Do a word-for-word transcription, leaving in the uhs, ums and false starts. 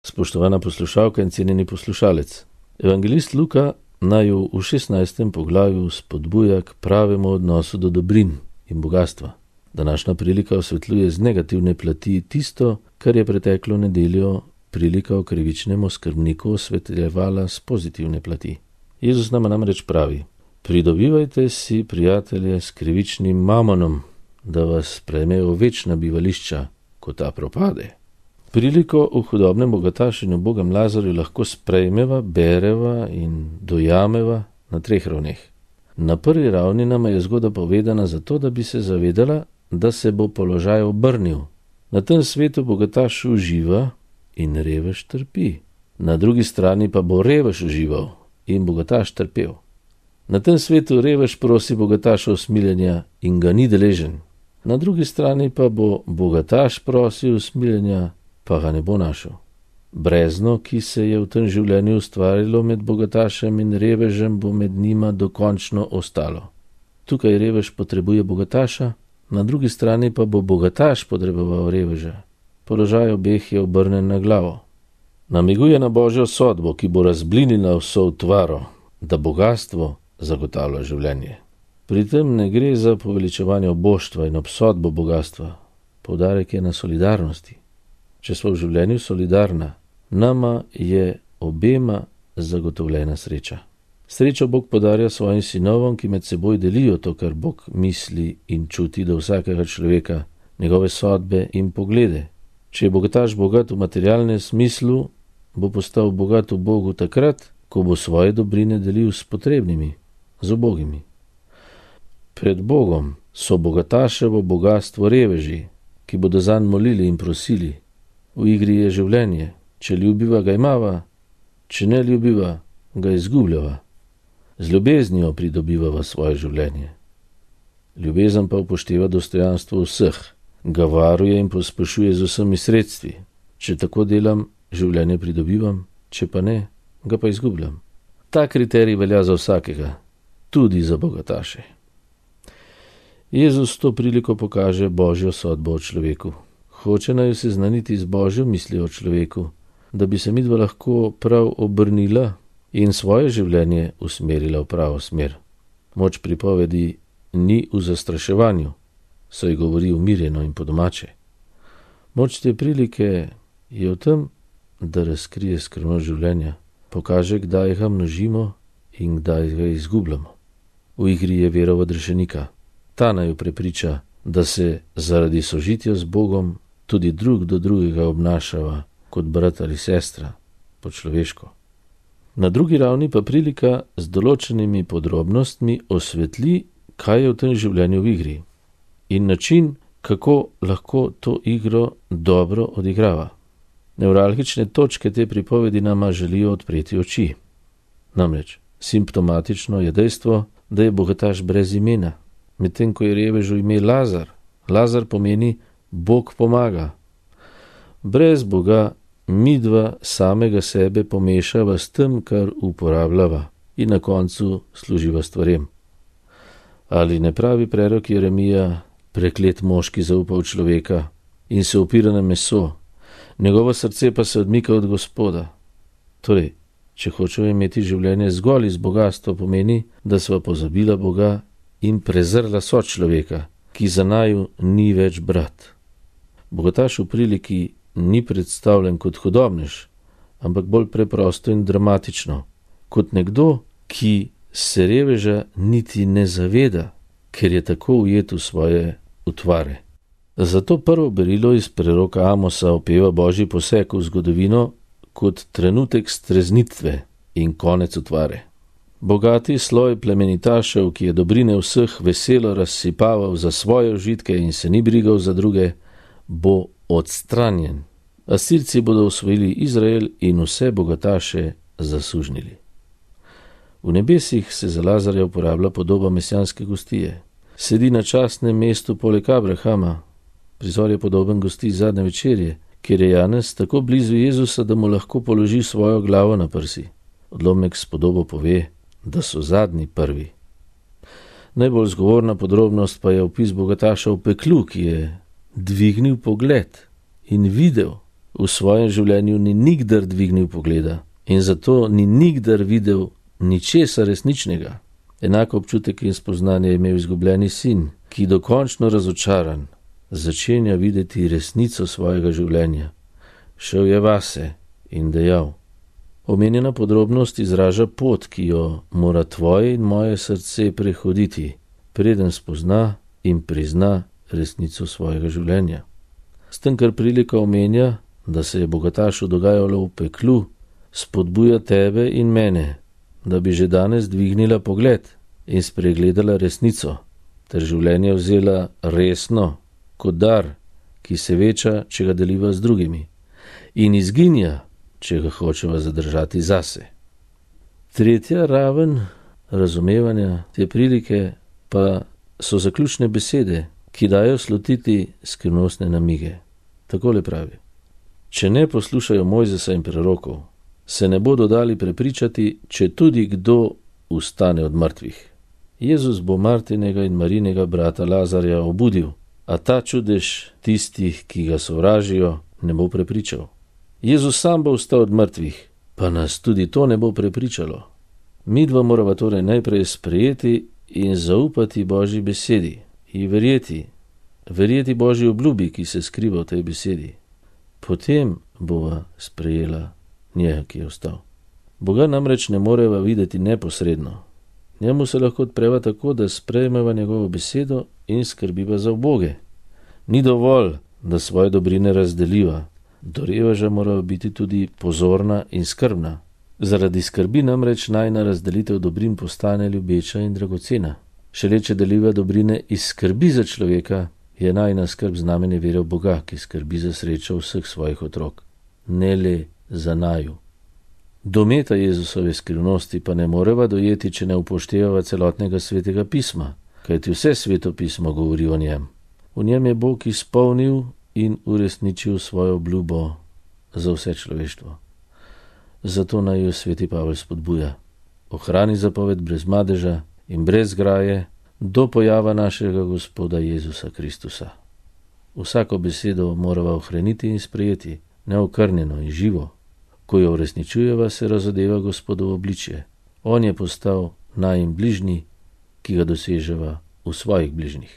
Spoštovana poslušalka in cenjeni poslušalec. Evangelist Luka naju v šestnajstem poglavju spodbuja k pravemu odnosu do dobrin in bogatstva. Današnja prilika osvetljuje z negativne plati tisto, kar je preteklo nedeljo prilika o krivičnem skrbniku osvetljevala z pozitivne plati. Jezus nama namreč pravi: pridobivajte si prijatelje s krivičnim mamonom, da vas prejmejo večna bivališča, ko ta propade. Priliko v hudobnem bogatašenju Bogem Lazarju lahko sprejmeva, bereva in dojameva na treh ravneh. Na prvi ravni nama je zgodba povedana zato, da bi se zavedala, da se bo položaj obrnil. Na tem svetu bogataš uživa in revež trpi. Na drugi strani pa bo revež užival in bogataš trpel. Na tem svetu revež prosi bogataša usmiljenja in ga ni deležen. Na drugi strani pa bo bogataš prosil usmiljenja, pa ga ne bo našel. Brezno, ki se je v tem življenju ustvarilo med bogatašem in revežem, bo med njima dokončno ostalo. Tukaj revež potrebuje bogataša, na drugi strani pa bo bogataš potreboval reveža. Položaj obeh je obrnen na glavo. Namiguje na Božjo sodbo, ki bo razblinila vso utvaro, da bogastvo zagotavlja življenje. Pri tem ne gre za poveličevanje oboštva in obsodbo bogastva. Poudarek je na solidarnosti. Če smo v življenju solidarna, nama je obema zagotovljena sreča. Srečo Bog podarja svojim sinovom, ki med seboj delijo to, kar Bog misli in čuti do vsakega človeka, njegove sodbe in poglede. Če je bogataš bogat v materialnem smislu, bo postal bogat v Bogu takrat, ko bo svoje dobrine delil s potrebnimi, z ubogimi. Pred Bogom so bogataševo bogatstvo reveži, ki bodo zanj molili in prosili. V igri je življenje, če ljubiva ga imava, če ne ljubiva, ga izgubljava. Z ljubeznijo pridobivava svoje življenje. Ljubezen pa upošteva dostojanstvo vseh, ga varuje in pospešuje z vsemi sredstvi. Če tako delam, življenje pridobivam, če pa ne, ga pa izgubljam. Ta kriterij velja za vsakega, tudi za bogataše. Jezus to priliko pokaže Božjo sodbo o človeku. Hoče naju seznaniti z Božjo mislijo o človeku, da bi se midva lahko prav obrnila in svoje življenje usmerila v pravo smer. Moč pripovedi ni v zastraševanju, saj govori umirjeno in po domače. Moč te prilike je v tem, da razkrije skrivnost življenja, pokaže, kdaj ga množimo in kdaj ga izgubljamo. V igri je vera odrešenika. Ta naju prepriča, da se zaradi sožitja z Bogom tudi drug do drugega obnašava kot brat ali sestra, po človeško. Na drugi ravni pa prilika z določenimi podrobnostmi osvetli, kaj je v tem življenju v igri in način, kako lahko to igro dobro odigrava. Nevralgične točke te pripovedi nama želijo odpreti oči. Namreč, simptomatično je dejstvo, da je bogataš brez imena, medtem ko je revežu ime Lazar. Lazar pomeni Bog pomaga. Brez Boga midva samega sebe pomešava s tem, kar uporabljava in na koncu služiva stvarem. Ali ne pravi prerok Jeremija: preklet moški zaupa v človeka in se opira na meso, njegovo srce pa se odmika od Gospoda. Torej, če hočejo imeti življenje zgolj iz bogatstva, pomeni, da sva pozabila Boga in prezrla sočloveka, ki za naju ni več brat. Bogataš v priliki ni predstavljen kot hudobnež, ampak bolj preprosto in dramatično, kot nekdo, ki se reveža niti ne zaveda, ker je tako ujet v svoje utvare. Zato prvo berilo iz preroka Amosa opeva Božji poseg v zgodovino kot trenutek streznitve in konec utvare. Bogati sloj plemenitašev, ki je dobrine vseh veselo razsipaval za svoje užitke in se ni brigal za druge, bo odstranjen. Asirci bodo osvojili Izrael in vse bogataše zasužnili. V nebesih se za Lazarja uporablja podoba mesijanske gostije. Sedi na častnem mestu poleg Abrahama. Prizor je podoben gosti zadnje večerje, kjer je Janez tako blizu Jezusa, da mu lahko položi svojo glavo na prsi. Odlomek s podobo pove, da so zadnji prvi. Najbolj zgovorna podrobnost pa je opis bogataša v peklu, ki je dvignil pogled in videl v svojem življenju ni nikdar dvignil pogleda in zato ni nikdar videl ničesa resničnega. Enako občutek in spoznanje je imel izgubljeni sin, ki dokončno razočaran začenja videti resnico svojega življenja. Šel je vase in dejal: omenjena podrobnost izraža pot, ki jo mora tvoje in moje srce prehoditi, preden spozna in prizna resnico svojega življenja. S tem, kar prilika omenja, da se je bogatašu dogajalo v peklu, spodbuja tebe in mene, da bi že danes dvignila pogled in spregledala resnico, ter življenje vzela resno, kot dar, ki se veča, če ga deliva z drugimi, in izginja, če ga hočeva zadržati zase. Tretja raven razumevanja te prilike pa so zaključne besede, ki dajo slutiti skrivnostne namige. Takole pravi: če ne poslušajo Mojzesa in prerokov, se ne bodo dali prepričati, če tudi kdo vstane od mrtvih. Jezus bo Martinega in Marinega brata Lazarja obudil, a ta čudež tistih, ki ga sovražijo, ne bo prepričal. Jezus sam bo vstal od mrtvih, pa nas tudi to ne bo prepričalo. Midva morava torej najprej sprejeti in zaupati Božji besedi in verjeti, verjeti Božji obljubi, ki se skriva v tej besedi. Potem bova sprejela njega, ki je vstal. Boga namreč ne moreva videti neposredno. Njemu se lahko odpreva tako, da sprejmeva njegovo besedo in skrbiva za uboge. Ni dovolj, da svoje dobrine razdeliva. Do reveža mora biti tudi pozorna in skrbna. Zaradi skrbi namreč najna razdelitev dobrin postane ljubeča in dragocena. Šele če deliva dobrine iz skrbi za človeka, je najna skrb znamenje vere v Boga, ki skrbi za srečo vseh svojih otrok, ne le za naju. Dometa Jezusove skrivnosti pa ne moreva dojeti, če ne upoštevava celotnega svetega pisma, kajti vse sveto pismo govori o njem. V njem je Bog izpolnil in uresničil svojo obljubo za vse človeštvo. Zato naj jo sveti Pavel spodbuja: ohrani zapoved brez madeža in brez graje do pojava našega Gospoda Jezusa Kristusa. Vsako besedo morava ohraniti in sprejeti, neokrnjeno in živo. Ko jo uresničujeva, se razodeva Gospodovo obličje. On je postal najin bližnji, ki ga doseževa v svojih bližnjih.